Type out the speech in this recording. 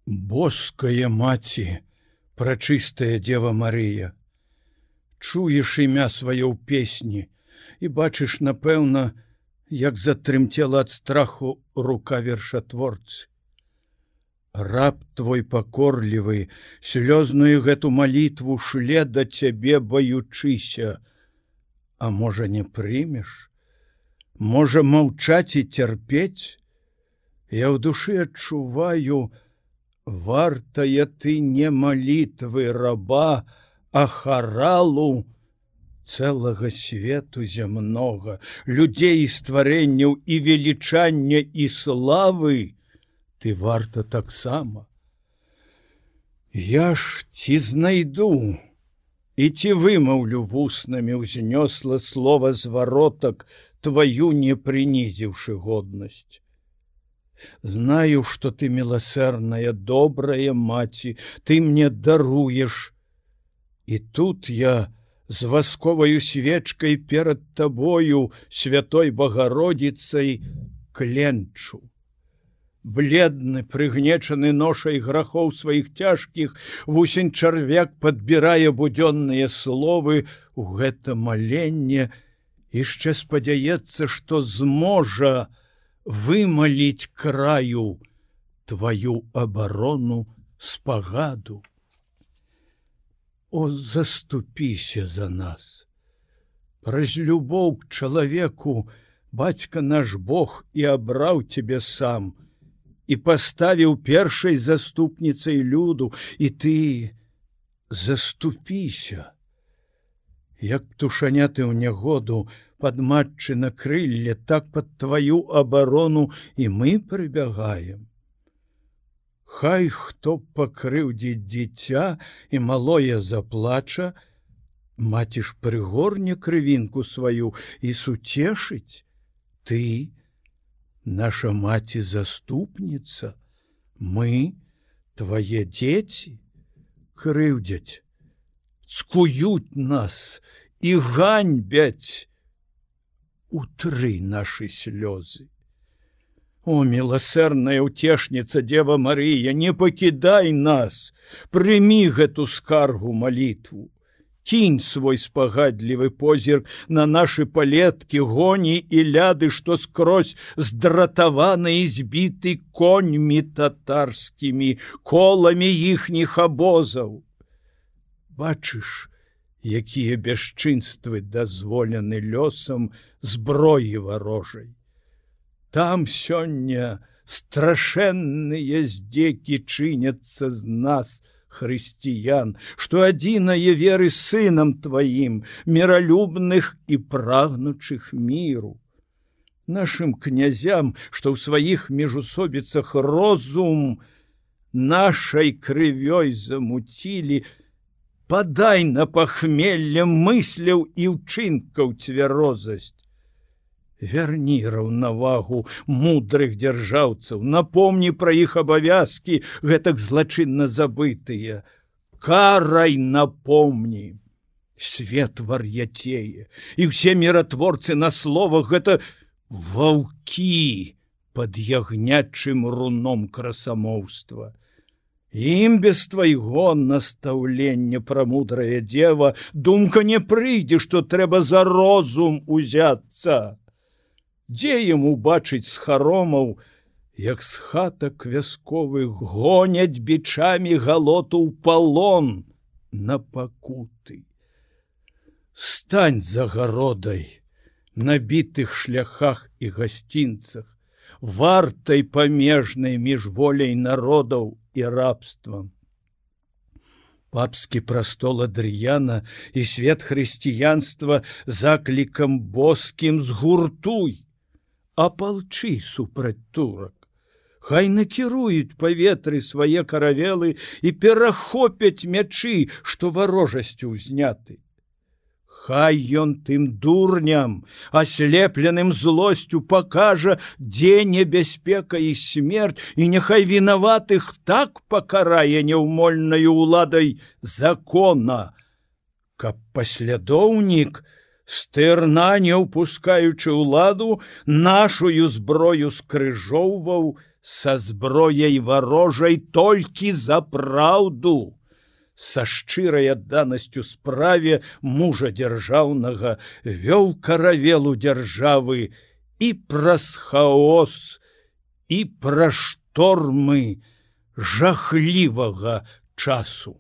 Боская маці, прачыстая Дева Марыя, чуеш імя сваё ў песні і бачыш, напэўна, як затрымцела ад страху рука вершатворцы. Раб твой пакорлівы, слёзную гэту малітву шле да цябе баючыся. А можа, не прымеш? Можа, маўчаць і цярпець? Я ў душы адчуваю, вартая ты не малітвы раба, а харалу цэлага свету зямнога, людзей і стварэнняў і велічання і славы, ты варта таксама. Я ж ці знайду і ці вымаўлю вуснамі ўзнёсла слова зваротак, твою не прынізіўшы годнасць. Знаю, што ты міласэрная, добрая маці, ты мне даруеш. І тут я з васковаю свечкай перад табою, святой Багародзіцай, кленчу. Бледны, прыгнечаны ношай грахоў сваіх цяжкіх, вусень чарвяк падбірае будзённыя словы ў гэта маленне, яшчэ спадзяецца, што зможа вымаліць краю твою абарону спагаду. О, заступіся за нас! Праз любоў к чалавеку бацька наш Бог і абраў цябе сам, і паставіў першай заступніцай люду, і ты заступіся. Як птушаняты ў нягоду, пад матчына крылле, так пад твою абарону і мы прыбягаем. Хай хто пакрыўдзіць дзіця і малое заплача, маці ж прыгорне крывінку сваю і суцешыць. Ты, наша маці заступніца, мы, твае дзеці, крыўдзяць, цкуюць нас і ганьбяць. Утры нашы слёзы. О, міласэрная ўцешніца Дева Марыя, не пакідай нас, прымі гэту скаргу малітву. Кінь свой спагадлівы позірк на нашы палеткі, гоні і ляды, што скрозь здратаваны і збіты коньмі татарскімі, коламі іхніх абозаў. Бачыш, якія бясчынствы дазволены лёсам зброі варожай. Там сёння страшэнныя здзекі чыняцца з нас, хрысціян, што адзінае веры сынам тваім, міралюбных і прагнучых міру. Нашым князям, што ў сваіх міжусобіцах розум нашай крывёй замуцілі, падай на пахмелле мысляў і ўчынкаў цвярозасць. Вярні раўнавагу мудрых дзяржаўцаў, напомні пра іх абавязкі, гэтак злачынна забытыя. Карай напомні. Свет вар'яцее, і ўсе міратворцы на словах гэта ваўкі пад ягнячым руном красамоўства. Ім без твайго настаўлення пра мудрая дзева думка не прыйдзе, што трэба за розум узяцца. Дзе ім убачыць з харомаў, як з хатак вясковых гоняць бичамі галоту ў палон на пакуты. Стань за гародай на бітых шляхах і гасцінцах, вартай памежнай між воляй народаў і рабствам. Папскі прастол Адрыяна і свет хрысціянства заклікам боскім згуртуй, апалчы супраць турак. Хай накіруюць паветры свае каравелы і перахопяць мячы, што варожасцю ўзняты. Хай ён тым дурням, аслепленым злосцю, пакажа, дзе небяспека і смерць, і няхай вінаватых так пакарае няўмольнаю ўладай закона, каб паслядоўнік, стырна не ўпускаючы ўладу, нашую зброю скрыжоўваў са зброяй варожай толькі за праўду. Са шчырай адданасцю справе мужа дзяржаўнага вёў каравелу дзяржавы і праз хаос, і пра штормы жахлівага часу.